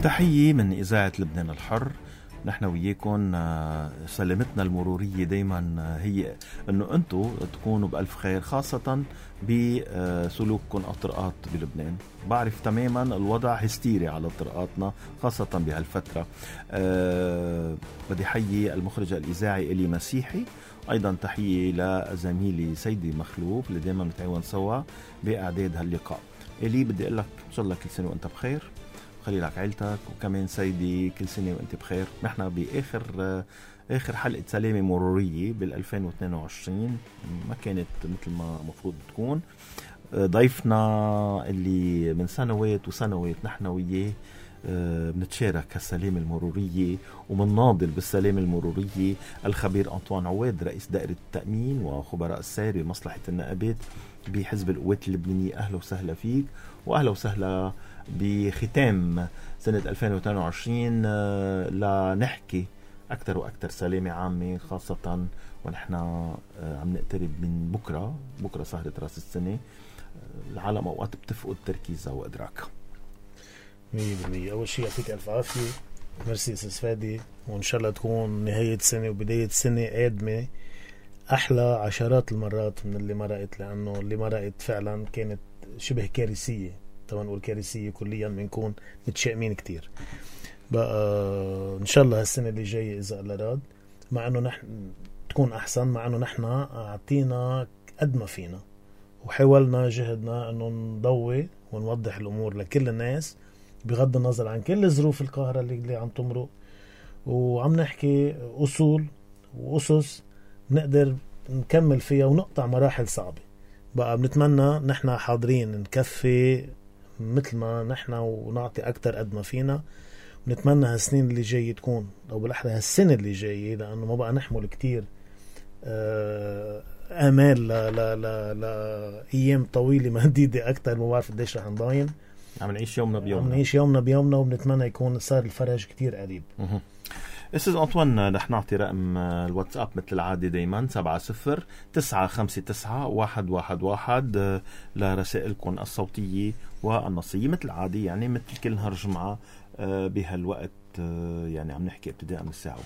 تحية من إذاعة لبنان الحر. نحن وياكم سلامتنا المرورية دايما هي أنه أنتوا تكونوا بألف خير، خاصة بسلوككم على الطرقات بلبنان. بعرف تماما الوضع هستيري على طرقاتنا خاصة بهالفترة. بدي حيي المخرج الإذاعي إلي مسيحي، أيضا تحية لزميلي سيدي مخلوف اللي دايما نتعاون سوا بإعداد هاللقاء. إلي بدي أقول لك إن شاء الله كل سنة وأنت بخير، خلي لك عيلتك، وكمان سيدي كل سنة وانت بخير. نحن بآخر حلقة سلامة مرورية بال2022، ما كانت مثل ما مفروض تكون. ضيفنا اللي من سنوات وسنوات نحن وياه بنتشارك هالسلامة المرورية ومنناضل بالسلامة المرورية، الخبير أنطوان عواد، رئيس دائرة التأمين وخبراء السير بمصلحة النقابات بحزب القوات اللبنانية. أهلا وسهلا فيك، وأهلا وسهلا بختام سنة 2022 لنحكي أكتر وأكتر سلامة عامة، خاصة ونحن عم نقترب من بكرة سهرة رأس السنة. العالم أوقات بتفقد تركيزها وإدراكها 100%. أول شيء يعطيك ألف عافية، ميرسي أستاذ فادي، وإن شاء الله تكون نهاية سنة وبداية سنة قادمة أحلى عشرات المرات من اللي مرقت، لأنه اللي مرقت فعلا كانت شبه كارثية. طبعا نقول كارثية كليا بنكون متشائمين كتير. بقى إن شاء الله هالسنة اللي جاية إذا الله راد، مع أنه نحن تكون أحسن، مع أنه نحن أعطينا قد ما فينا وحاولنا جهدنا أنه نضوي ونوضح الأمور لكل الناس بغض النظر عن كل الظروف القاهرة اللي عم تمرق، وعم نحكي أصول وأسس نقدر نكمل فيها ونقطع مراحل صعبة. بقى بنتمنى نحن حاضرين نكفي مثل ما نحن ونعطي أكتر قد ما فينا. ونتمنى هالسنين اللي جاية تكون، أو بالأحرى هالسنة اللي جاية، لأنه ما بقى نحمل كتير آمال لأيام طويلة مهديدة أكتر. ما بعرف قديش رح نضاين، عم نعيش يومنا بيومنا وبنتمنى يكون صار الفرج كتير قريب. أستاذ أنطوان، رح نعطي رقم الواتساب مثل العادة دايما 70-959-111 لرسائلكم الصوتية والنصية مثل العادة، يعني مثل كل نهار جمعة بهالوقت، يعني عم نحكي ابتداء من الساعة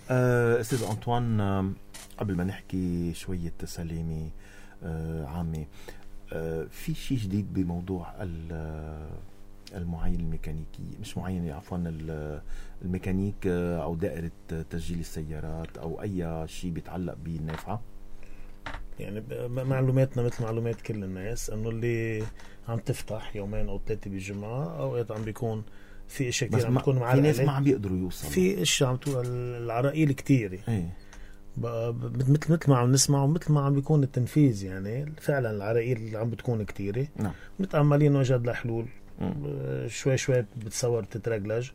1. أستاذ أنطوان، قبل ما نحكي شوية سلامة عامة، في شيء جديد بموضوع المعاين الميكانيكي، مش معاين عفوا الميكانيك أو دائرة تسجيل السيارات أو أي شيء بيتعلق بالنافعة؟ يعني معلوماتنا مثل معلومات كل الناس، أنه اللي عم تفتح يومين أو 3 بالجمعة، أوقات عم بيكون في اشياء كتير عم تكون معلقة، في ناس ما عم بيقدروا يوصلوا، في اشياء عم تقول العراقيل كتير مثل ما عم نسمع ومثل ما عم بيكون التنفيذ. يعني فعلا العراقيل عم بتكون كتيرة. نعم. متأملين وجد لحلول شوي شوي بتصور تترجلج،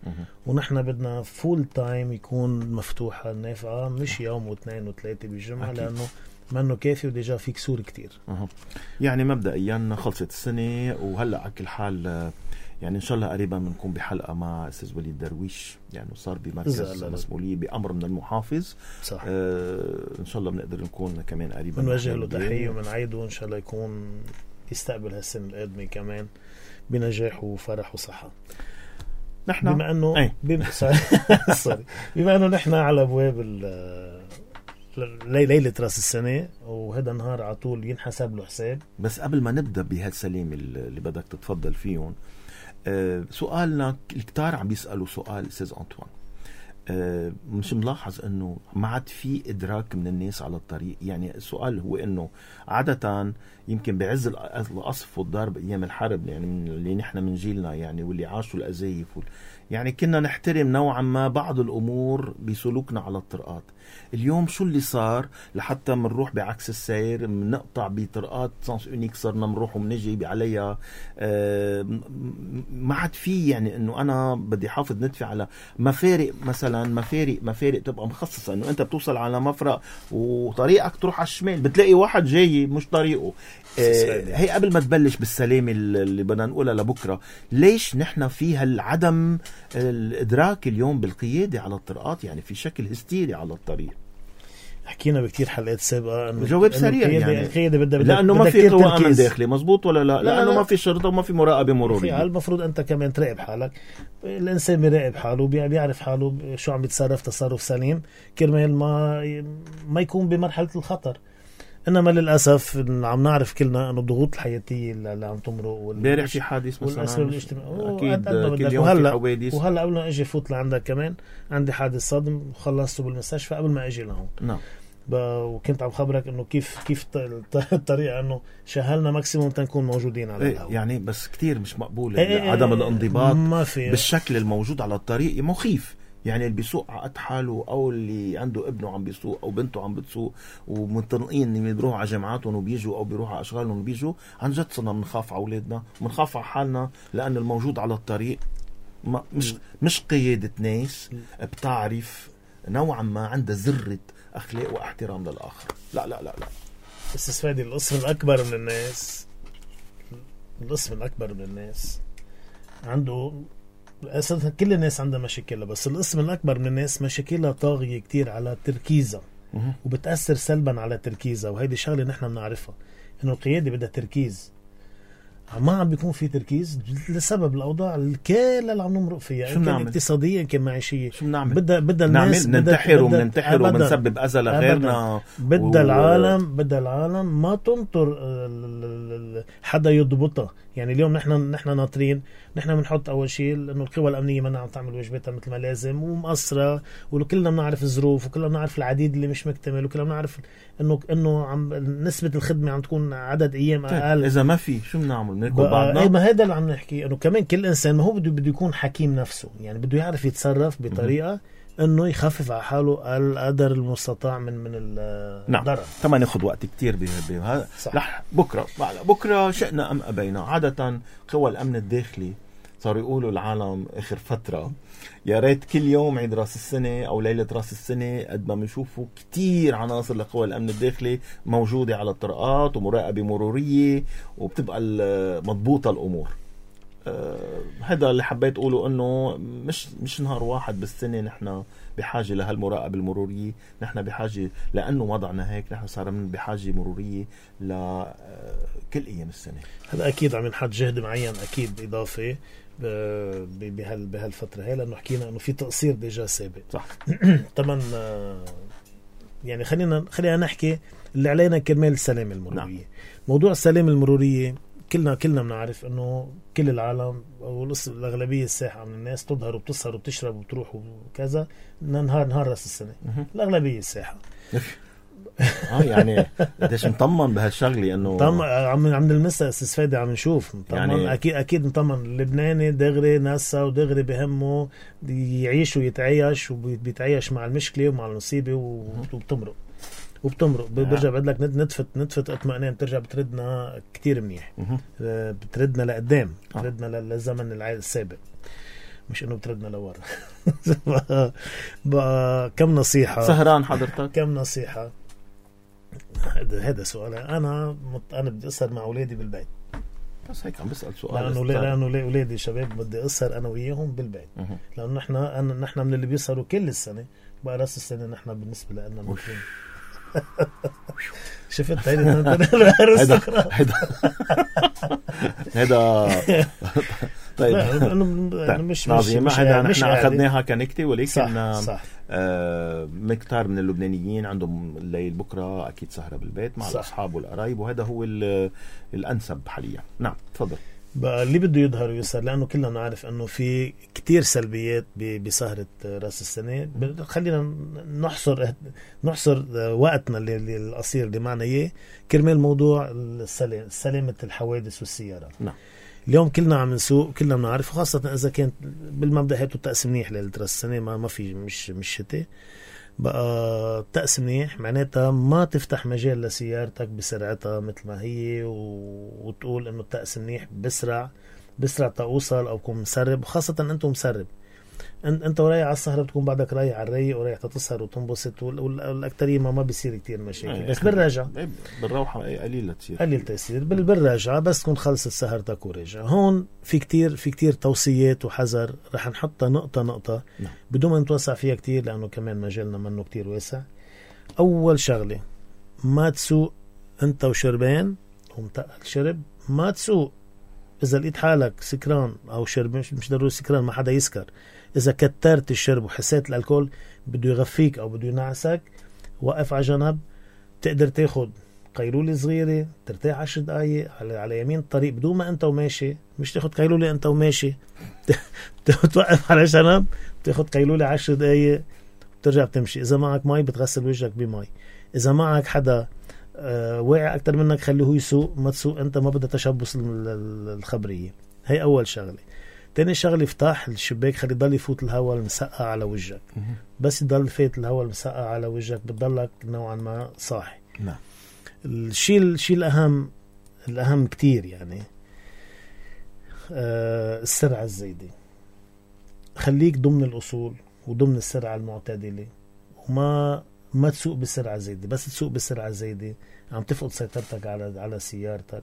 ونحن بدنا فول تايم يكون مفتوحة النافعة، مش يوم واثنين وثلاثة بالجمعة، أكيد. لأنه منه كافي وديجا في كسور كتير. يعني مبدئيا خلصت السنة، وهلأ على كل حال يعني إن شاء الله قريبا بنكون بحلقة مع أستاذ وليد درويش، يعني صار بمركز مسؤولية بأمر من المحافظ. صح. إن شاء الله بنقدر نكون كمان قريبا، بنوجه له تحية ومنعيده إن شاء الله يكون يستقبل هالسنة القادمة كمان بنجاح وفرح وصحة. نحن بما أنه بما أنه نحن على أبواب ليلة رأس السنة، وهذا نهار على طول ينحسب له حساب. بس قبل ما نبدأ بهالسلام اللي بدك تتفضل فيهم، سؤالنا الكتار عم بيسألوا سؤال أستاذ أنطوان، مش ملاحظ أنه ما عاد في إدراك من الناس على الطريق؟ يعني السؤال هو أنه عادة يمكن بعز القصف والضرب أيام الحرب، يعني اللي نحن من جيلنا يعني واللي عاشوا الأزايف يعني كنا نحترم نوعا ما بعض الأمور بسلوكنا على الطرقات. اليوم شو اللي صار لحتى منروح بعكس السير، منقطع بطرقات سانس اونيك، صرنا منروح ومنجي عليها. ما عاد في يعني انه انا بدي حافظ ندفع على مفارق، مثلا مفارق تبقى مخصصة انه انت بتوصل على مفرق وطريقك تروح على الشمال بتلاقي واحد جاي مش طريقه. هي قبل ما تبلش بالسلامة اللي بدنا نقولها لبكرة، ليش نحن في هالعدم الإدراك اليوم بالقيادة على الطرقات؟ يعني في شكل هستيري على الطريق. حكينا بكتير حلقات سابقة انه جواب سريع يعني القيادة لانه ما في قوة امن داخلي مزبوط ولا لا؟ لانه ما في شرطة وما في مراقبة مرورية. المفروض انت كمان تراقب حالك. الانسان بيراقب حاله بيعرف حاله شو عم بيتصرف تصرف سليم كرمال ما يكون بمرحلة الخطر. انما للاسف عم نعرف كلنا انه الضغوط الحياتيه اللي عم تمرق امبارح في حادث مثلا اكيد كل يوم في حوادث. وهلا قبل ما اجي فوت لعندك كمان عندي حادث صدم وخلصته بالمستشفى قبل ما اجي لهون. نعم. وكنت عم خبرك انه كيف الطريقه انه شهلنا ماكسيموم تنكون موجودين على الهواء. يعني بس كتير مش مقبول عدم الانضباط ما في بالشكل الموجود على الطريق مخيف. يعني اللي بيسوق عقد حاله او اللي عنده ابنه عم بيسوق او بنته عم بتسوق ومنطلقين اللي بيروحوا على جامعاتهم وبيجوا او بيروحوا على اشغالهم وبيجوا، عن جد صرنا بنخاف على اولادنا وبنخاف على حالنا لان الموجود على الطريق مش قيادة ناس بتعرف نوعا ما عندها ذرة اخلاق واحترام للاخر. لا لا لا لا بس فادي القسم الاكبر من الناس عنده أساسا كل الناس عندها مشاكلها، بس القسم الأكبر من الناس مشاكلها طاغية كتير على تركيزها وبتأثر سلبا على تركيزها. وهيدي شغلة نحن بنعرفها إنه القيادة بدها تركيز. ما عم بيكون في تركيز لسبب الأوضاع الكاملة اللي عم نمرق فيها، إن كان اقتصادية إن كان معيشية. شو بنعمل؟ بدها الناس ننتحر ومنسبب أذى لغيرنا. بدها العالم ما تنطر حدا يضبطها. يعني اليوم نحن ناطرين، نحن بنحط أول شيء إنه القوى الأمنية ما عم تعمل واجباتها مثل ما لازم ومقصرة، وكلنا بنعرف الظروف وكلنا بنعرف العديد اللي مش مكتمل وكلنا بنعرف إنه عم نسبة الخدمة عم تكون عدد أيام أقل. إذا ما في شو بنعمل؟ نركض بعضنا. ما هذا اللي عم نحكي، إنه كمان كل إنسان ما هو بده يكون حكيم نفسه. يعني بده يعرف يتصرف بطريقة انه يخفف على حاله القدر المستطاع من الضرر. نعم. طبعا ناخذ وقت كتير بهذا. رح بكره شئنا ام ابينا. عاده قوى الامن الداخلي صاروا يقولوا العالم اخر فتره يا ريت كل يوم عيد راس السنه او ليله راس السنه قد ما بنشوفوا كتير عناصر لقوى الامن الداخلي موجوده على الطرقات ومراقبه مروريه وبتبقى مضبوطه الامور. هذا اللي حبيت أقوله، أنه مش نهار واحد بالسنة نحن بحاجة لهالمراقبة المرورية. نحن بحاجة لأنه وضعنا هيك، نحن صار بحاجة مرورية لكل أيام السنة. هذا أكيد عم ينحط جهد معين أكيد إضافي بهالفترة هاي، لأنه حكينا أنه في تقصير ديجا سابق. صح. طبعا يعني خلينا نحكي اللي علينا كرمال السلامة المرورية. نعم. موضوع السلامة المرورية كلنا بنعرف انه كل العالم او الاغلبيه الساحه من الناس تظهر وبتسهر وبتشرب وبتروح وكذا نهار راس السنه. الاغلبيه الساحه يعني قديش مطمن بهالشغله انه عم نلمسها استفاده عم نشوف يعني اكيد مطمن. اللبناني دغري ناسا ودغري بهمه يعيش ويتعايش وبيتعايش مع المشكله ومع المصيبه وبتمرق برجع بعد لك نتفت اطمئنان، بترجع بتردنا كتير منيح. بتردنا لقدام، بتردنا للزمن السابق، مش انه بتردنا لورا. بقى كم نصيحة سهران حضرتك؟ كم نصيحة؟ هذا سؤال. انا بدي اسهر مع اولادي بالبيت. بس هيك عم بسأل سؤال لانه اولادي شباب بدي اسهر انا وياهم بالبيت. لانه نحن من اللي بيسهروا كل السنة، بقى راس السنة نحن بالنسبة لنا نكون شفت هذا طيب مش هذا نحن اخذناها كنكته، ولكن صح. مكتار من اللبنانيين عندهم الليل بكره اكيد سهره بالبيت مع الاصحاب والقرايب، وهذا هو الانسب حاليا. نعم تفضل. بقى اللي بده يظهر ويسهر، لأنه كلنا نعرف أنه في كتير سلبيات بسهرة رأس السنة. خلينا نحصر وقتنا اللي القصير اللي معنا إياه كرمال موضوع سلامة الحوادث والسيارات. نعم. اليوم كلنا عم نسوق، كلنا بنعرف، خاصة إذا كانت بالمبدأ هاتوا التقسيم منيح ليلة رأس السنة، ما في مش شتاء. بقى تقس منيح معناتها ما تفتح مجال لسيارتك بسرعتها مثل ما هي وتقول انه التقس منيح بسرع توصل او كون مسرب، وخاصة انتم مسرب انت ورايح على السهرة بتكون بعدك رايح على الريق ورايح تسهر وتنبسط، والاكترية ما بيصير كتير مشاكل. بس بالراجع بالروحة قليل تأثير بالراجعة، بس تكون خلصت سهرتك وراجع. هون في كتير توصيات وحذر رح نحطها نقطة. نعم. بدون ما نتوسع فيها كتير لأنه كمان مجالنا منه كتير واسع. أول شغلة ما تسوق أنت وشربان ومتقل شرب، ما تسوق إذا لقيت حالك سكران أو شرب، مش ضروري سكران، ما حدا يسكر. إذا كترت الشرب وحسيت الألكول بده يغفيك أو بده ينعسك، وقف على جنب. تقدر تاخد قيلولة صغيرة ترتاح 10 دقايق على يمين الطريق بدون ما أنت وماشي، مش تاخد قيلولة أنت وماشي. توقف على جنب تاخد قيلولة 10 دقايق بترجع بتمشي. إذا معك مي بتغسل وجهك بمي. إذا معك حدا واعي أكتر منك خليه هو يسوق، ما تسوق أنت، ما بدها تشبث الخبرية. هي أول شغلة. تاني شغلة افتح الشباك، خلي يضل يفوت الهواء المسقع على وجهك. بس يضل فات الهواء المسقع على وجهك بتضلك نوعا ما صاحي. نعم. الشيء الأهم كتير يعني السرعة الزايدة. خليك ضمن الأصول وضمن السرعة المعتدلة، وما تسوق بسرعة زايدة. بس تسوق بسرعة زايدة عم تفقد سيطرتك على سيارتك،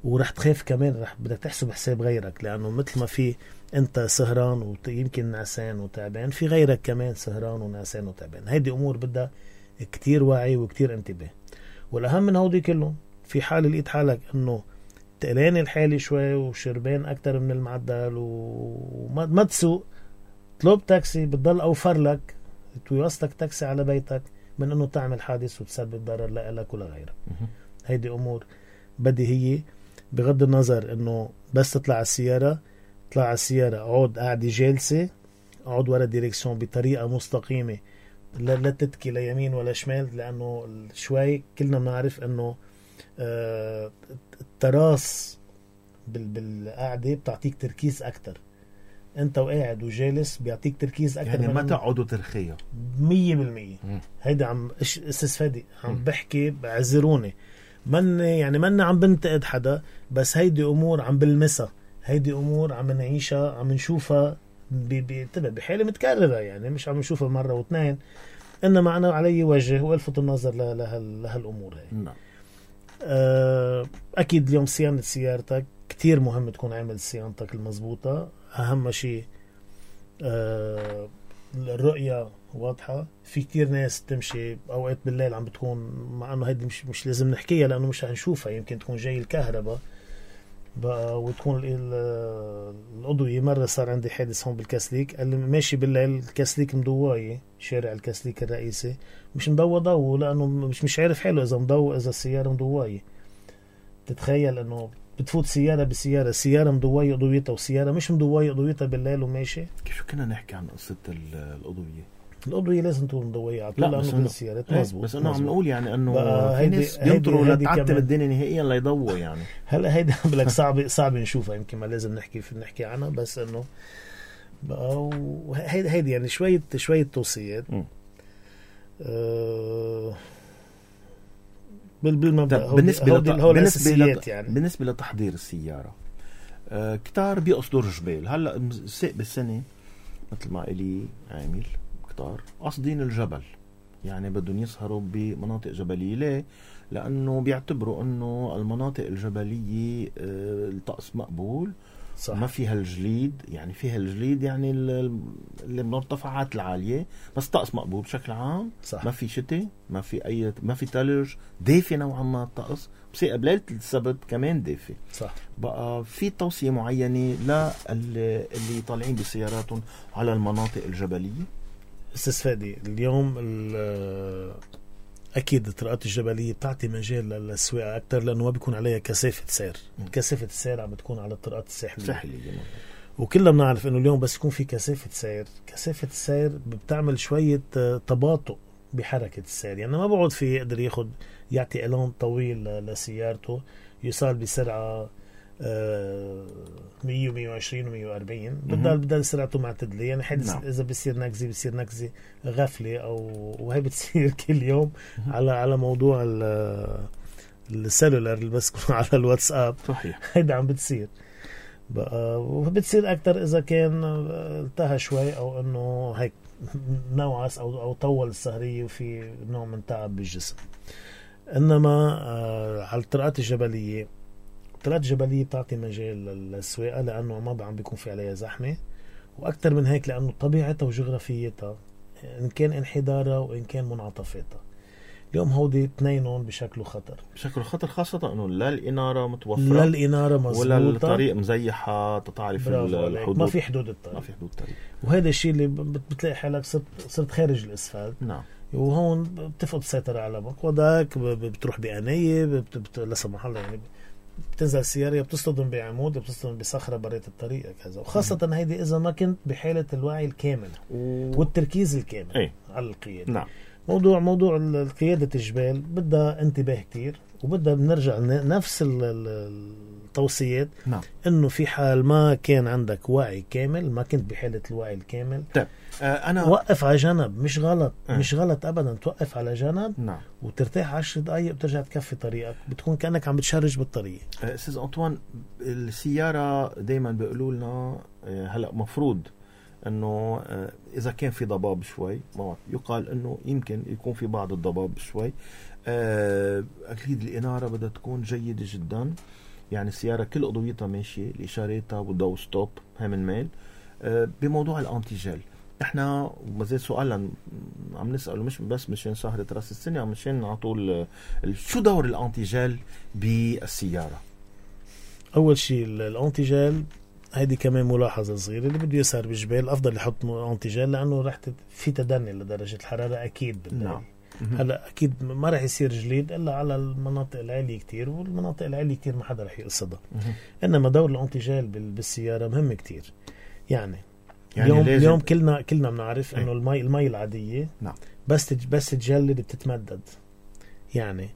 ورح تخاف كمان، بدك تحسب حساب غيرك، لأنه مثل ما في أنت سهران ويمكن نعسان وتعبان، في غيرك كمان سهران ونعسان وتعبان. هيدي أمور بدها كتير وعي وكتير انتباه. والأهم من هودي كلهم، في حال لقيت حالك أنه تقلان الحالي شوي وشربان أكتر من المعدل وما تسوق، طلب تاكسي، بتضل أوفر لك توصلك تاكسي على بيتك من أنه تعمل حادث وتسبب ضرر لك ولا غيرك. هيدي أمور بديهية، بغض النظر أنه بس تطلع على السيارة، طلع على السيارة، اقعد قاعدة جالسة، اقعد ورا الديركسيون بطريقة مستقيمة، لا تتكي ليمين ولا شمال، لأنه شوي كلنا بنعرف أنه التراس بالقعدة بتعطيك تركيز أكتر. أنت وقاعد وجالس بيعطيك تركيز أكتر، يعني ما تقعدوا ترخية 100%. هيدا عم استسفادي، عم بحكي بعذروني، من عم بنتقد حدا، بس هيدي أمور عم بلمسها، هيدي أمور عم نعيشها، عم نشوفها بحالة متكررة، يعني مش عم نشوفها مرة واثنين، إنما أنا علي وجه وألفت النظر لهالأمور هاي. نعم. أكيد اليوم صيانة سيارتك كتير مهم، تكون عامل صيانتك المضبوطة. أهم شيء الرؤية واضحة. في كتير ناس تمشي أوقات بالليل عم بتكون، مع أنه هيدي مش لازم نحكيها لأنه مش هنشوفها، يمكن تكون جاي الكهرباء بقى وتكون الأضوية. مرة صار عندي حادث هون بالكاسليك، قال لي ماشي بالليل الكاسليك مضواية، شارع الكاسليك الرئيسي مش مضوى ضوء، لأنه مش عارف حاله إذا مضوى، إذا السيارة مضواية. تتخيل أنه بتفوت سيارة بسيارة، سيارة مضواية أضويتها وسيارة مش مضواية أضويتها بالليل وماشي. كيف كنا نحكي عن قصة الأضوية؟ الأضوية لازم تكون مضوية على طول، لأنه بالسيارات مزبوط. بس أنا عم نقول يعني أنه في هيدي ناس بينطروا لتعتم كمان الدنيا نهائيا ليضووا يعني. هلا هيدا بلك صعب نشوفها، يمكن ما لازم نحكي عنها، بس انه بقى هيدي يعني شوية توصيات. بالمبدأ بالنسبة لتحضير السيارة، كتار بيقصدوا الجبال. هلا ساق بالسنة مثل ما إلي عامل كتار قصدين الجبل، يعني بدهم يسهروا بمناطق جبلية. ليه؟ لأنه بيعتبروا أنه المناطق الجبلية الطقس مقبول، صح. ما فيها الجليد، يعني فيها الجليد يعني اللي من الارتفاعات العالية، بس طقس مقبول بشكل عام. صح. ما في شتاء، ما في تلج، دافي نوعا ما الطقس، بس بليلة السبت كمان دافي. صح. بقى في توصية معينة اللي طالعين بسياراتهم على المناطق الجبلية؟ استفادي اليوم أكيد الطرقات الجبلية بتعطي مجال للسواقة أكتر، لأنه ما بيكون عليها كثافة سير. كثافة السير عم بتكون على الطرقات الساحلية. وكلنا بنعرف إنه اليوم بس يكون في كثافة السير بتعمل شوية تباطؤ بحركة السير، يعني ما بقعد فيه يقدر يعطي إعلان طويل لسيارته، يوصل بسرعة 100 و120 و140، بدل سرعته معتدلة. يعني حدث نعم. إذا بصير نكزة غفلة وهي بتصير كل يوم على موضوع السيلولر اللي بس على الواتساب. صحيح. هيدا عم بتصير بقى، وبتصير أكتر إذا كان التهى شوي أو إنه هيك نوعس أو طول السهرية وفي نوع من تعب بالجسم. إنما على الطرقات الجبلية بتعطي مجال للسواقة، لأنه ما عم بيكون في عليها زحمة، وأكتر من هيك لأنه طبيعتها وجغرافيتها، إن كان انحدارها وإن كان منعطفاتها. اليوم هودي اثنينهم بشكل خطر. بشكل خطر، خاصة انه لا الإنارة متوفرة لا الإنارة مزبوطة ولا الطريق مزيحة تعرف الحدود، ما في حدود الطريق، ما في حدود طريق. وهذا الشيء اللي بتلاقي حالك صرت خارج الاسفلت. نعم. وهون بتفقد السيطرة على مقودك، بتروح بأنية، لا سمح الله يعني بتنزل السيارة بتصطدم بعمود، بتصطدم بصخرة بريت الطريق كذا. وخاصة هيدي إذا ما كنت بحالة الوعي الكامل والتركيز الكامل على القيادة. نعم. موضوع قيادة الجبال بدها انتباه كتير، وبدها بنرجع نفس التوصيات. نعم. انه في حال ما كان عندك وعي كامل، ما كنت بحالة الوعي الكامل، طيب أنا وقف على جنب. مش غلط مش غلط أبدا توقف على جنب. نعم. وترتاح 10 دقايق وترجع تكفي طريقك، بتكون كأنك عم بتشرج بالطريق. أستاذ أنطوان، السيارة دايما بيقولوا لنا هلأ مفروض انه اذا كان في ضباب شوي، يقال انه يمكن يكون في بعض الضباب شوي، اكيد الاناره بدها تكون جيده جدا. يعني السياره كل اضويتها ماشيه، الاشاراتها والضوء ستوب هاي من ميل. بموضوع الانتيجل احنا ما زال سؤال عم نساله، مش بس مشان سهره راس السنه، عم مشان على طول شو دور الانتيجل بالسياره؟ اول شيء الانتيجل هيدي كمان ملاحظة صغيرة، اللي بده يسهر بالجبال أفضل يحط أنتيجال، لأنه رح في تدني لدرجة الحرارة أكيد بالليل. نعم. هلا أكيد ما رح يصير جليد إلا على المناطق العالية كتير، والمناطق العالية كتير ما حدا رح يقصدها. إنما دور الأنتيجال بالسيارة مهم كتير. يعني اليوم كلنا بنعرف إنه المي العادية نعم بس تجلد بتتمدد. يعني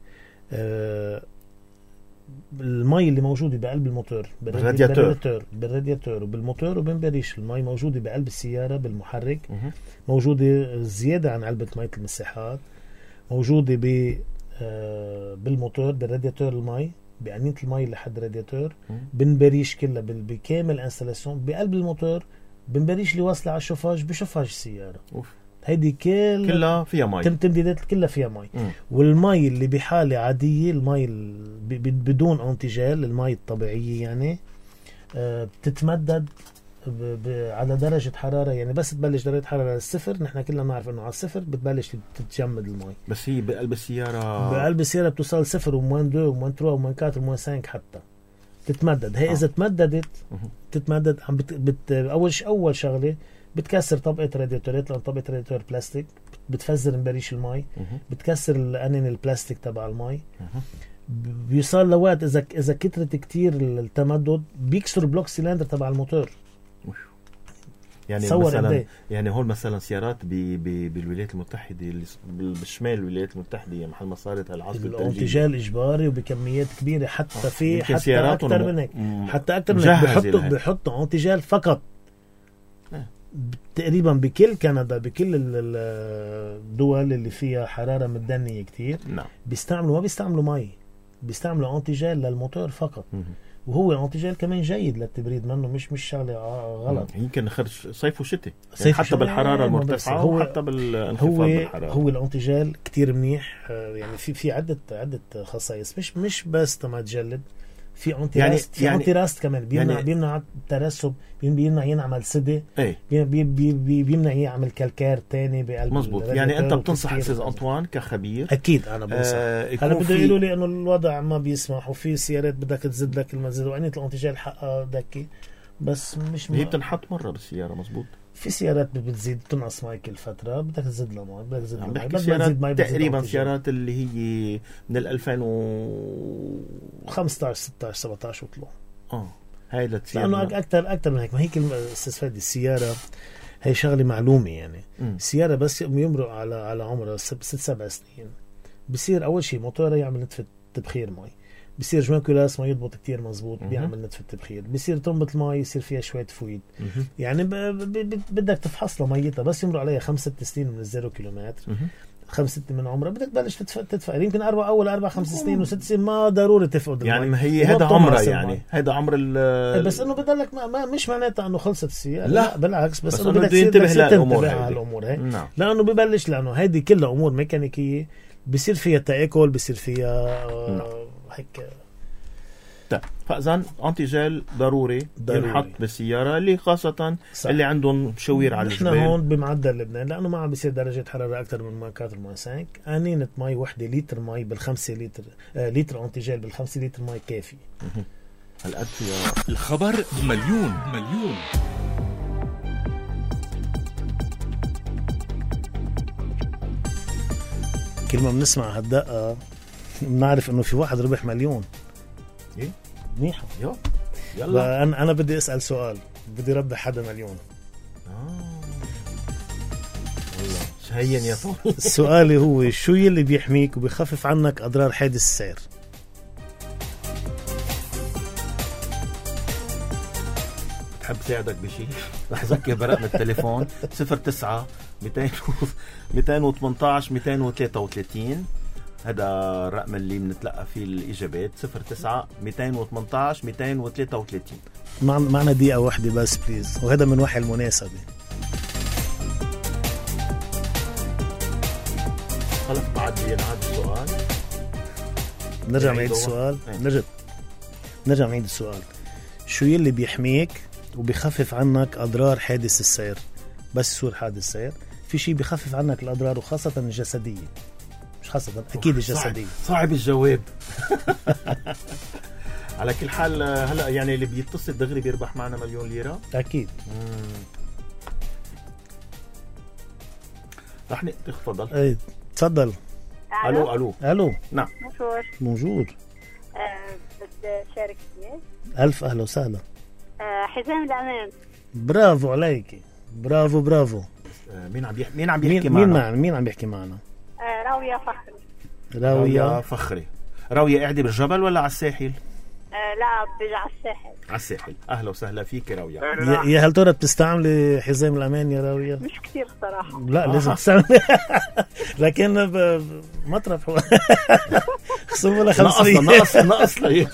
المي اللي موجودة بقلب الموتور بالرادياتور وبالموتور وبنبريش، المي موجودة بقلب السيارة بالمحرك، موجودة زيادة عن علبة مية المساحات، موجودة بالموتور بالرادياتور، المي بأنية المي لحد الرادياتور بنبريش كلها بكامل انستلاسيون بقلب الموتور، بنبريش اللي واصلة على الشوفاج بشوفاج السيارة. هيدي كلها فيها مي، تمديدات كلها فيها مي. والمي اللي بحالة عادية، المي بدون انتيجال، المي الطبيعية يعني بتتمدد على درجة حرارة. يعني بس تبلش درجة حرارة الصفر، نحن كلنا نعرف انه على الصفر بتبلش تتجمد المي. بس هي بقلب السيارة بتوصل صفر وموان 2 وموان 3 وموان 4 وموان 5 حتى تتمدد. هي إذا تتمدد عم أول شغلة بتكسر طبقة رادياتورات، لأن طبقة رادياتور بلاستيك بتفزر مبريش المي، بتكسر الأنين البلاستيك تبع المي. بيوصل لوقت إذا كترت كتير التمدد بيكسر بلوك سيلندر تبع الموتور. يعني مثلا يعني هول مثلا سيارات بالولايات المتحدة، بالشمال الولايات المتحدة، محل ما صارت هالعاصفة الانتيجال إجباري وبكميات كبيرة، حتى أكتر من هيك، حتى أكتر من هيك بيحطوا انتيجال فقط. تقريبا بكل كندا، بكل الدول اللي فيها حرارة متدنية كتير، نعم، ما بيستعملوا مي، بيستعملوا انتيجال للموتور فقط. وهو انتيجال كمان جيد للتبريد، منه مش شغلة غلط. يمكن نخرج صيف وشتاء يعني، حتى بالحرارة المرتفعة وحتى بالانخفاض بالحرارة. هو الانتيجال كتير منيح. يعني في عدة خصائص، مش بس تما تجلد، في انتيراست، يعني انتيراست كمان بيمنع الترسب، بيمنع ينعمل سدة، بيمنع يعمل كالكار تاني بقلب. مزبوط. يعني انت بتنصح استاذ أنطوان كخبير؟ اكيد انا بنصح. هلا بده يقولوا لي انه الوضع ما بيسمح، وفي سيارات بدك تزيد لك المزيد، وعنية الانتيجال حقها دكي، بس مش هي بتنحط مرة بالسيارة. مزبوط. في سيارات بتزيد تنقص ماي كل فترة، بدك تزيد لها ماي، بدك تزيد ماي. تقريبا سيارات اللي هي من 2015 16 17 وطلعوا. هاي لأنه أكتر من هيك. ما هيك استفاد السيارة، هي شغلة معلومة يعني. السيارة بس يمرق على عمرها 6-7 سنين، بصير أول شيء موتورها يعمل نتفة تبخير ماي، بصير جوان كلاس ما يضبط كتير مزبوط، بيعمل نتفة تبخير، بصير ترمبة الماء يصير فيها شوية فويد. يعني بدك تفحص له ميتها، بس يمرق عليها 5-6 سنين من 0 كيلومتر، 5-6 من عمرها، بدك تبلش تدفع. يمكن أول 4-5 سنين و6 سنين ما ضروري تفقد يعني. ما هي هذا عمرها، يعني هذا عمر بس انه بضلك ما مش معناتها انه خلصت السيارة، لا بالعكس، بس انه بدك تنتبه للامور هاي. نعم. لانه ببلش، لانه هيدي كلها امور ميكانيكيه، بصير فيها تآكل، بصير فيها هيك فإذن أنتيجيل ضروري ينحط بالسيارة اللي خاصة صح. اللي عندهم مشاوير على الجبال. نحن هون بمعدل لبنان لأنه ما عم بيصير درجة حرارة أكثر من 4.5 أنينة مي وحدة لتر مي بالخمسة لتر لتر أنتيجيل بالخمسة لتر مي كافي. هالقد فيها. الخبر مليون. كل ما بنسمع هالدقة بنعرف إنه في واحد ربح مليون. إيه منيحة. يلا أنا بدي أسأل سؤال، بدي ربح حدا مليون. والله شهين يا طول. السؤال هو شو يلي بيحميك وبيخفف عنك أضرار حادث السير؟ بحب ساعدك بشيء. رح أذكر برقم التليفون 09 218 233. هذا الرقم اللي بنتلقى فيه الإجابات 09 218 233. معنا دقيقة واحدة بس بليز، وهذا من وحي المناسبة. خلص بعد ينعاد السؤال. نرجع نعيد السؤال. نرجع نعيد السؤال. شو يلي بيحميك وبيخفف عنك أضرار حادث السير؟ بس يصير حادث سير في شيء بيخفف عنك الأضرار وخاصة الجسدية، مش خاصة أكيد الجسدية. صعب الجواب. على كل حال هلأ يعني اللي بيتصل دغري بيربح معنا مليون ليرة أكيد. رح تفضل. ايه تفضل. الو. نعم موجود. بدي شارك فيه. ألف أهلا وسهلا. حزام الأمان. برافو عليك، برافو. مين عم بيحكي معنا؟ مين عم بيحكي معنا؟ راوية فخري. راوية قاعدة بالجبل ولا على الساحل؟ لا بيجي على الساحل. أهلا وسهلا فيك راوية. يا هل ترى بتستعملي حزام الأمان يا راوية؟ مش كتير صراحة. لا لازم تستعملي. لكن مطرف خصومه لها 500. نقص لي.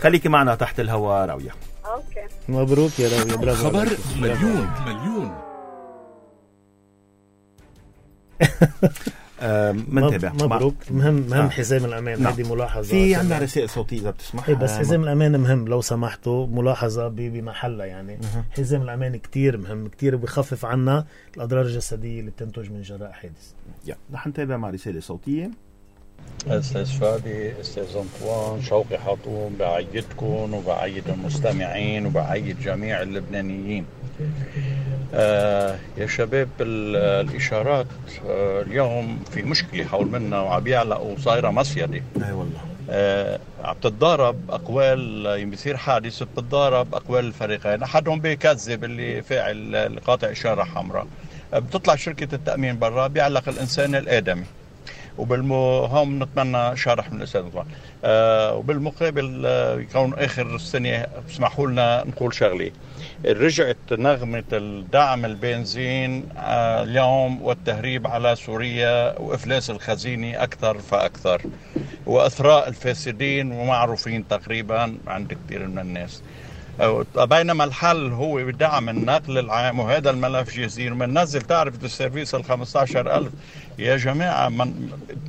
خليكي معنا تحت الهواء راوية. أوكي. مبروك يا راوية، برافو. خبر مليون. منتبه. مبروك. مهم حزام الأمان. هذه ملاحظة. في عندنا رسائل صوتية إذا بتسمح. بس حزام الأمان مهم لو سمحتوا، ملاحظة بمحلها يعني. حزام الأمان كتير مهم، كتير بيخفف عنا الأضرار الجسدية اللي بتنتج من جراء حادث. رح نتابع مع رسالة صوتية. أستاذ فادي، أستاذ أنطوان، شوقي حاطوم، بعيدكم وبعيد المستمعين وبعيد جميع اللبنانيين. يا شباب، الإشارات اليوم في مشكلة حول منا وعم يعلقوا وصايرة مصيدة. أي والله. عم تتضارب أقوال، يصير حادث بتتضارب أقوال الفريقين، أحدهم بيكذب اللي فاعل قاطع إشارة حمراء، بتطلع شركة التأمين برا بيعلق الإنسان الآدمي. هم نتمنى شرح من الأستاذ طبعا. وبالمقابل يكون آخر السنة اسمحوا لنا نقول شغلة. رجعت نغمة الدعم البنزين اليوم والتهريب على سوريا وإفلاس الخزينة أكثر فأكثر، وأثراء الفاسدين ومعروفين تقريبا عند كثير من الناس. بينما الحل هو بدعم النقل العام، وهذا الملف جزير. من نزل تعرفة السيرفيس 15,000 يا جماعة،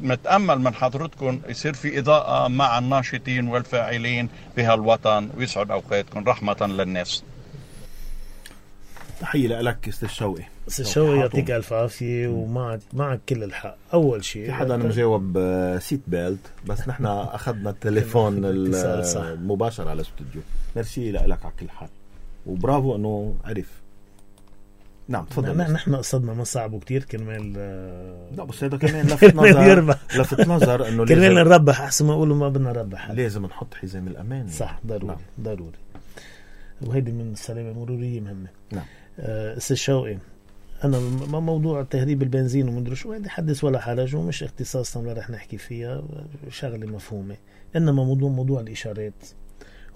نتأمل من حضرتكم يصير في إضاءة مع الناشطين والفاعلين بهالوطن، ويسعد أوقاتكم رحمة للناس. تحية لك أستاذ شوقي. أستاذ شوقي يعطيك ألف عافية، ومعك كل الحق. أول شيء في حدا مجاوب سيت بيلت، بس نحن أخذنا التليفون المباشر على الاستوديو. ميرسي لك على كل حال، وبرافو أنه عرف. نعم تفضل. نحن قصدنا ما صعبوا كتير كرمال. لا بس هذا كمان لفت نظر أنه كرمال نربح أحسن ما أقولوا ما بدنا نربح. لازم نحط حزام الأمان. صح، ضروري. وهيدي من السلامة المرورية مهمة. نعم. أستاذ شوقي، أنا موضوع تهريب البنزين ومدري شو هذا حدث ولا حرج، ومش اختصاصنا ولا رح نحكي فيها، شغلة مفهومة. إنما موضوع الإشارات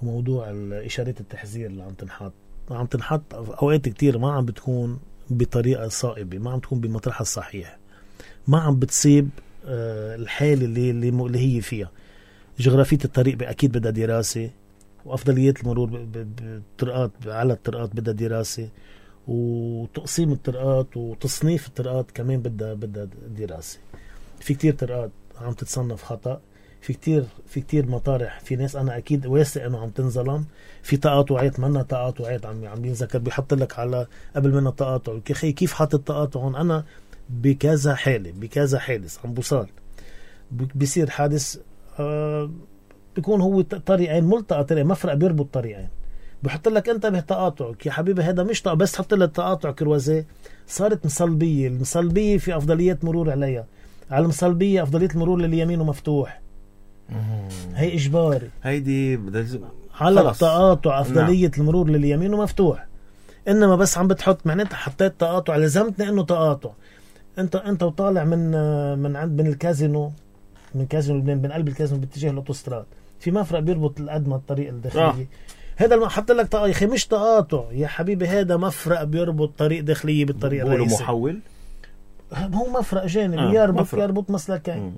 وموضوع الإشارات التحذير اللي عم تنحط أوقات كتير ما عم بتكون بطريقة صائبة، ما عم تكون بمطرحها الصحيح، ما عم بتصيب الحالة اللي هي فيها. جغرافية الطريق أكيد بدها دراسة، وأفضليات المرور بالطرقات على الطرقات بدها دراسة، وتقسيم الطرقات وتصنيف الطرقات كمان بدها دراسة. في كتير طرقات عم تتصنف خطأ، في كتير مطارح، في ناس أنا أكيد واثق إنه عم تنظلم، في تقاطعات منا تقاطعات عم ينذكر، بيحط لك على قبل منها تقاطع. كيف حاطط تقاطع هون؟ أنا بكذا حادث عم بوصل بيصير حادث بيكون هو طريقين ملتقى، طريق مفرق بيربط طريقين، بحط لك انتبه تقاطعك يا حبيبي، هذا مش بس تحط لك تقاطع كروزيه، صارت مصلبيه. المصلبيه في افضليه مرور عليها، على المصلبيه افضليه المرور للي يمينه مفتوح، هي اجباري. هيدي على التقاطع افضليه المرور للي يمينه مفتوح. انما بس عم بتحط معناتها حطيت تقاطع، لزمتني انه تقاطع. انت وطالع من الكازينو، من كازينو لبنان، من قلب الكازينو باتجاه الاوتوستراد، في مفرق بيربط القدمة الطريق الداخلية. هذا ما حط لك يا اخي مش تقاطع يا حبيبي، هذا مفرق بيربط طريق داخلية بالطريق الرئيسي. محول، هو مفرق جانبي يربط مسلكين،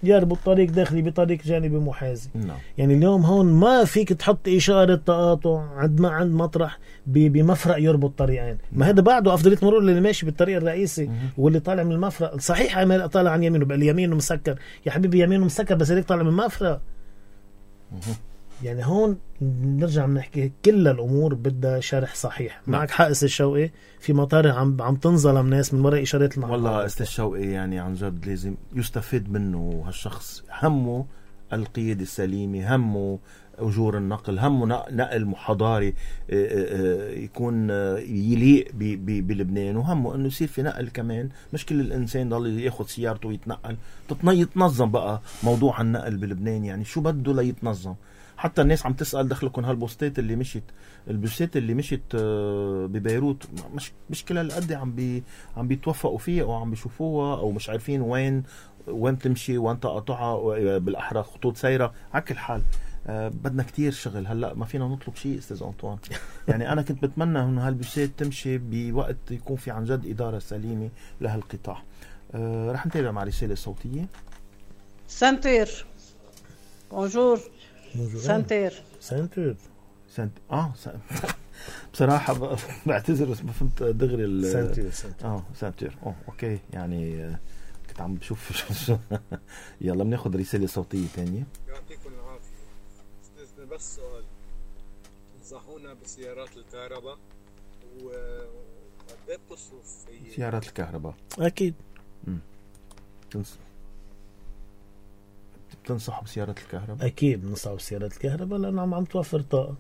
يربط طريق داخلي بطريق جانبي محاذي. يعني اليوم هون ما فيك تحط إشارة تقاطع عند مطرح بمفرق يربط طريقين. ما هذا بعده أفضلية مرور اللي ماشي بالطريق الرئيسي واللي طالع من المفرق. صحيح عمال طالع عن يمينه، بقى اليمينه مسكر يا حبيبي، يمينه مسكر بس هيك طالع من المفرق. يعني هون نرجع بنحكي كل الأمور بدها شرح صحيح. معك حق أستاذ شوقي، في مطارح عم تنظلم ناس من وراء إشارات المحطة. والله أستاذ شوقي يعني عن جد لازم يستفيد منه هالشخص. همه القيادة السليمة، همه أجور النقل، همه نقل حضاري يكون يليق بلبنان، وهمه أنه يصير في نقل كمان. مش كل الإنسان ضل ياخد سيارته ويتنقل، يتنظم بقى موضوع النقل بلبنان. يعني شو بده ليتنظم؟ حتى الناس عم تسأل دخلكم هالبوستات اللي مشيت، البوستات اللي مشيت ببيروت، مش كل هالقد عم بيتوفقوا فيها او عم بيشوفوها، او مش عارفين وين تمشي وين تقطعها، بالاحرى خطوط سيرة. على كل حال بدنا كتير شغل. هلا ما فينا نطلب شيء استاذ أنطوان. يعني انا كنت بتمنى انه هالبوستات تمشي بوقت يكون في عن جد إدارة سليمة لهالقطاع. رح نتابع مع رسالة صوتية. سنتير بونجور. سنتير بصراحة بعتذر بس ما فهمت دغري سنتير. اوكي. يعني كنت عم بشوف يلا بناخد رسالة صوتية تانية. يعطيكم العافية. استاذنا بس سؤال، تنصحونا بسيارات الكهرباء وقد بتصرف سيارات الكهرباء؟ اكيد بتنصحوا بسيارات الكهرباء؟ اكيد بننصحوا بسيارات الكهرباء لانه عم توفر طاقه.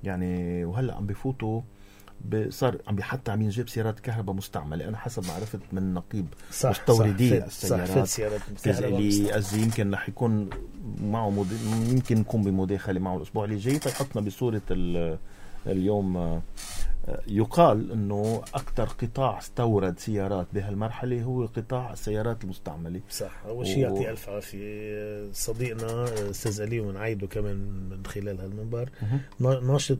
يعني وهلا عم بفوتوا صار حتى عم ينجيب سيارات كهرباء مستعمله. انا حسب ما عرفت من نقيب مستوردي السيارات اللي أزي يمكن رح يكون معه يمكن نكون بمداخله معه الاسبوع اللي جاي، فيحطنا بصوره اليوم. يقال انه اكثر قطاع استورد سيارات بهالمرحله هو قطاع السيارات المستعمله. صح. اول شيء يعطيه الف عافيه صديقنا استاذ علي، ونعيده كمان من خلال هالمنبر.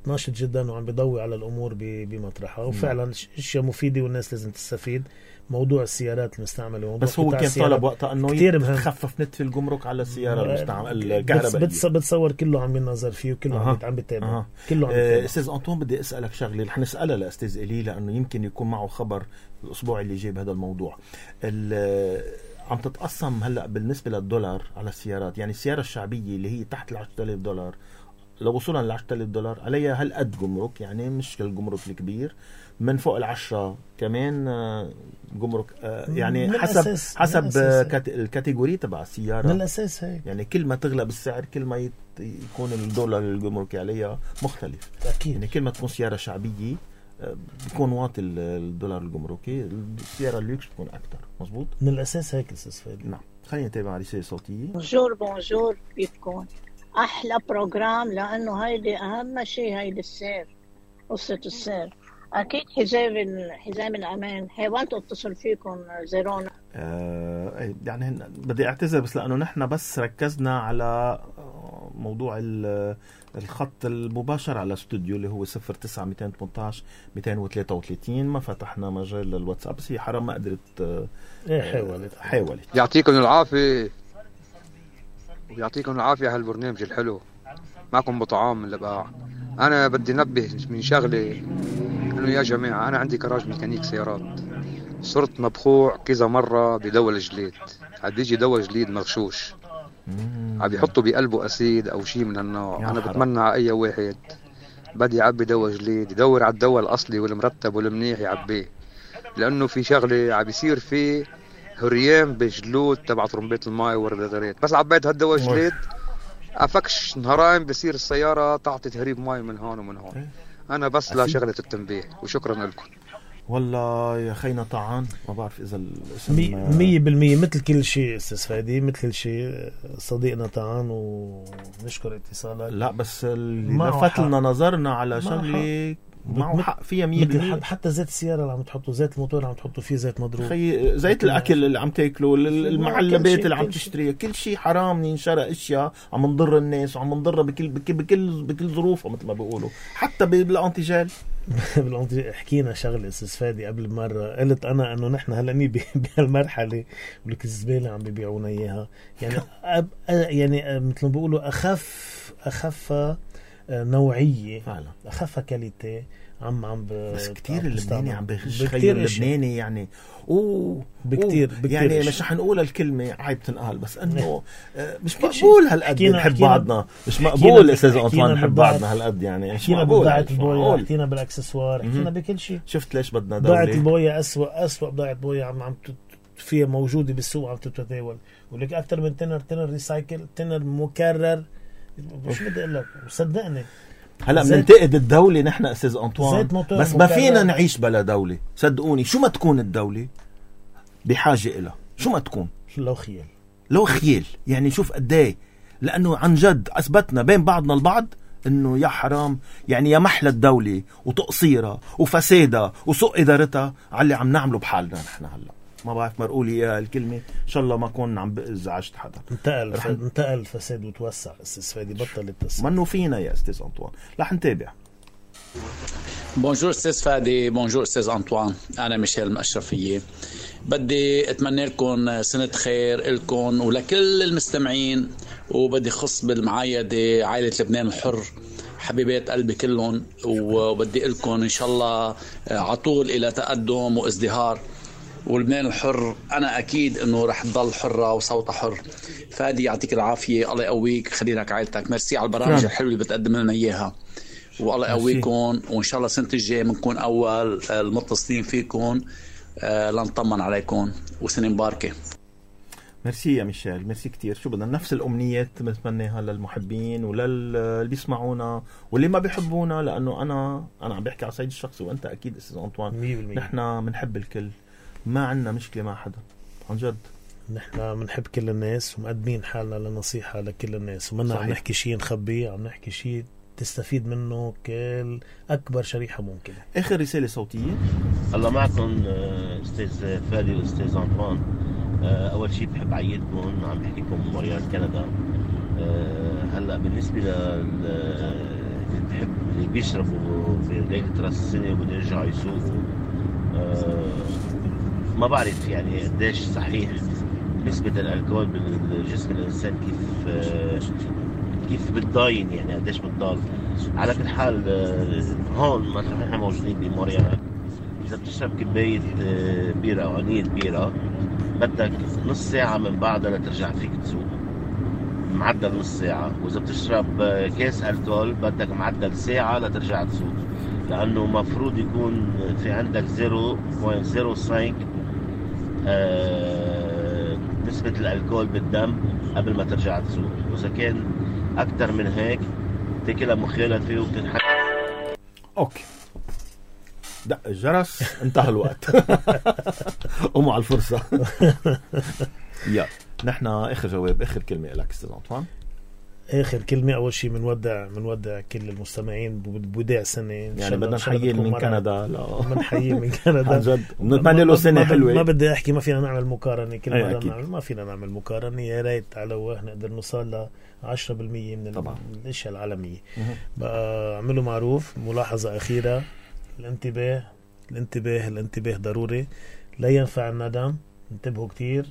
ناشط جدا وعم بيضوي على الامور بمطرحها، وفعلا اشياء مفيده والناس لازم تستفيد. موضوع السيارات المستعمله، بس هو كان طالب وقتها انه يخفف نتف الجمرك على السياره المستعمله الكهربائيه. بتصور كله عم ينظر فيه وكله عم بيتابع. كله عم بيتابع. استاذ أنطوان بدي اسالك شغله رح نسالها لاستاذ إلي لانه يمكن يكون معه خبر الاسبوع اللي جاي بهذا الموضوع. عم تتقسم هلا بالنسبه للدولار على السيارات. يعني السياره الشعبيه اللي هي تحت $10,000 لو وصلنا $10,000 عليها هالقد جمرك، يعني مش الجمرك الكبير. من فوق 10 كمان جمرك. يعني حسب الكاتيجوري تبع السيارة. من الأساس هيك. يعني كل ما تغلى بالسعر كل ما يكون الدولار الجمركي عليها مختلف. أكيد. يعني كل ما تكون سيارة شعبية بيكون واطي الدولار الجمركي، السيارة الليكس بتكون أكتر. مظبوط. من الأساس هيك أستاذ فادي. نعم. خلينا نتابع رسالة صوتية. بونجور كيفكم؟ أحلى بروجرام، لأنه هيدي أهم شيء، هيدي السير، قصة السير. أكيد حزام الأمان. حيوانتوا اتصل فيكم زيرونا. يعني بدي أعتذر بس لأنه نحن بس ركزنا على موضوع الخط المباشر على استوديو اللي هو 09-218-233. ما فتحنا مجال للواتساب، بس هي حرام ما قدرت. حاولت. يعطيكم العافية ويعطيكم العافية هالبرنامج الحلو. معكم بطعام من لبقاع. أنا بدي نبه من شغلة، إنه يا جماعة أنا عندي كراج ميكانيك سيارات، صرت مبخوع كذا مرة بدول جليد. عاد بيجي دول جليد مغشوش، عم يحطوا بقلبه أسيد أو شيء من هالنوع. أنا حرام. بتمنى على أي واحد بدي يعبي دواء جديد يدور على الدواء الأصلي والمرتب والمنيح يعبيه، لأنه في شغلة عم يصير فيه هريان بجلود تبع طرمبات الماء والرادارات. بس عبيت هالدواء جديد أفكش نهارين بصير السيارة تعطي تهريب ماء من هون ومن هون. أنا بس لا شغلة التنبيه، وشكرا لكم. والله يا خينا طعان، ما بعرف إذا الاسم 100% مثل كل شيء أستاذ فادي، مثل كل شيء صديقنا طعان ونشكر اتصالك. لا بس اللي لفت لنا نظرنا على شغلة معه حق فيها 100%. حتى زيت السيارة اللي عم تحطوا، زيت الموتور اللي عم تحطوا فيه زيت مضروب، خي زيت الأكل اللي عم تاكلوا، المعلبات اللي عم تشتريها، كل شيء حرام ينشرى أشياء عم نضر الناس وعم نضرها بكل ظروفها مثل ما بيقولوا، حتى بالأنتيجال. حكينا شغله استاذ فادي قبل مره، قلت انا انه نحن هلا بهالمرحله ولك الزباله عم بيبيعونا اياها، يعني يعني مثل ما بيقولوا اخف نوعيه فعلا، اخف كاليتي بس كتير اللبناني عم بيغش خير اللبناني يعني بكتير يعني مش رح نقول الكلمة عيب تنقال، بس انه مش مقبول هالقد نحب بعضنا، مش مقبول استاذ أنطوان نحب بعضنا هالقد، يعني مش مقبول. بضاعة البوية، حكينا بالاكسسوار، حكينا بكل شيء. شفت ليش بدنا دولة؟ بضاعة البوية أسوأ بضاعة بوية عم فيها موجودة بالسوق عم تتداول، ولك أكتر من تنر ريسايكل، تنر مكرر، مش بدي أقول لك صدقني. هلا بننتقد الدولة نحن استاذ أنطوان، بس ما فينا نعيش بلا دولة، صدقوني. شو ما تكون الدولة بحاجة إلها، شو ما تكون، لو خيال يعني. شوف قديه، لأنه عن جد أثبتنا بين بعضنا البعض إنه يا حرام يعني، يا محلى الدولة وتقصيرها وفسادها وسوء إدارتها على اللي عم نعمله بحالنا نحن. هلا ما بعرف مرقولي اياها الكلمة، ان شاء الله ما كون عم بزعجت حدا. انتقل الفساد وتوسع استاذ فادي، بطل التسويق منو فينا يا استاذ أنطوان. رح نتابع. بونجور استاذ فادي، بونجور استاذ أنطوان، انا ميشيل المشرفية. بدي اتمنى لكم سنة خير لكم ولكل المستمعين، وبدي خص بالمعايدة عائلة لبنان الحر، حبيبات قلبي كلهم، وبدي لكم ان شاء الله عطول الى تقدم وازدهار. ولبنان الحر أنا أكيد أنه رح تضل حرة وصوتها حر. فادي يعطيك العافية، الله يقويك، خلي لك عائلتك. ميرسي على البرامج الحلوة اللي بتقدم لنا إياها، والله يقويكم، وإن شاء الله سنة الجاي بنكون أول المتصلين فيكم لنطمن عليكم، وسنة مباركة. ميرسي يا ميشيل، ميرسي كتير. شو بدنا نفس الأمنيات بنتمناها للمحبين وللي بيسمعونا واللي ما بيحبونا، لأنه أنا عم بحكي على صعيد الشخصي، وأنت أكيد أستاذ أنطوان نحن بنحب الكل، ما عنا مشكلة مع حدا عن جد. نحن بنحب كل الناس ومقدمين حالنا لنصيحة لكل الناس، ومنا عم نحكي شيء نخبيه، عم نحكي شيء تستفيد منه كل أكبر شريحة ممكنة. آخر رسالة صوتية. الله معكم أستاذ فادي وأستاذ أنطوان. أول شيء بحب عيدكم، عم بحكيكم موريال كندا. هلأ بالنسبة اللي بيشربوا في ليلة راس السنة وبده يرجعوا يسوقوا، ما بعرف يعني قديش صحيح نسبة الألكول بالجسم الإنسان، كيف بتضاين يعني، قديش بتضال. على كل حال هون مثلا نحن موجودين بموريال، إذا بتشرب كباية بيرة أو عنية بيرة بدك نص ساعة من بعدها لترجع فيك تسوق، معدل نص ساعة. وإذا بتشرب كاس ألكول بدك معدل ساعة لترجع تسوق، لأنه مفروض يكون في عندك 0.05 نسبة الألكول بالدم قبل ما ترجع تسوق، وإذا كان أكتر من هيك تاكلها مخالفة وبتنحكي. أوكي، دق الجرس، انتهى الوقت. قوموا على الفرصة. يا نحن آخر جواب، آخر كلمة لك أستاذ أنطوان. آخر كلمة، أول شيء منودع كل المستمعين بوداع سنة، يعني بدنا نحيي من كندا. لا بنحيي من كندا عن جد، بنتمنى له سنة حلوة. ما بدي أحكي ما فينا نعمل مقارنة، كل مرة ما فينا نعمل مقارنة. يا ريت على واه نقدر نوصل ل 10% من الأشياء العالمية. بقى عملوا معروف. ملاحظة أخيرة، الانتباه ضروري، لا ينفع الندم. انتبهوا كتير،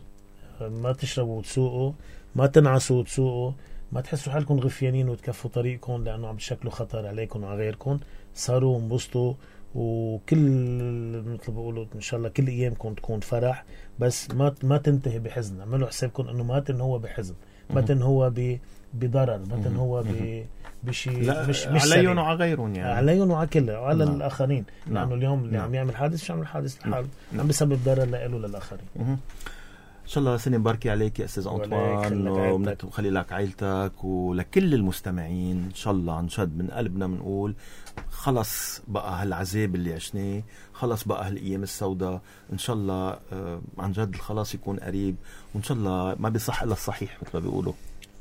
ما تشربوا وتسوقوا، ما تنعسوا وتسوقوا، ما تحسوا حالكم غفيانين وتكفوا طريقكم، لأنه عم تشكلوا خطر عليكم وعلى غيركم. صاروا وانبسطوا، وكل مثل بقولوا إن شاء الله كل أيامكم تكون فرح، بس ما تنتهي بحزن. عملوا حسابكم إنه ما هو بحزن، بتن هو بضرر، بتن هو بشيء مش عليهم وعلى غيرهم، يعني عليهم وعلى كله وعلى الآخرين، لأنه نعم. اليوم اللي عم يعمل حادث مش عم يعمل حادث لحاله، عم بسبب ضرر له للآخرين. إن شاء الله سنة مباركة عليك يا أستاذ أنطوان، وخلي لك عائلتك ولكل المستمعين. إن شاء الله عن جد من قلبنا بنقول خلص بقى هالعذاب اللي عشناه، خلص بقى هالأيام السوداء. إن شاء الله عن جد الخلاص يكون قريب، وإن شاء الله ما بيصح إلا الصحيح مثل ما بيقولوا،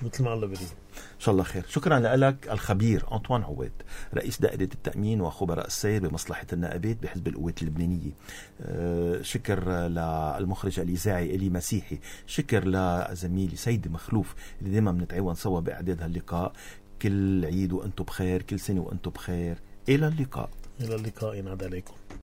مثل ما الله بيريد. إن شاء الله خير. شكرا لك الخبير أنطوان عواد، رئيس دائرة التأمين وخبراء السير بمصلحة النائبات بحزب القوات اللبنانية. شكر للمخرج الإذاعي إلي مسيحي، شكر لزميلي سيد مخلوف اللي دائما بنتعاون سوا بإعداد هاللقاء. كل عيد وأنتم بخير، كل سنة وأنتم بخير. إلى اللقاء. إلى اللقاء، ينعاد عليكم.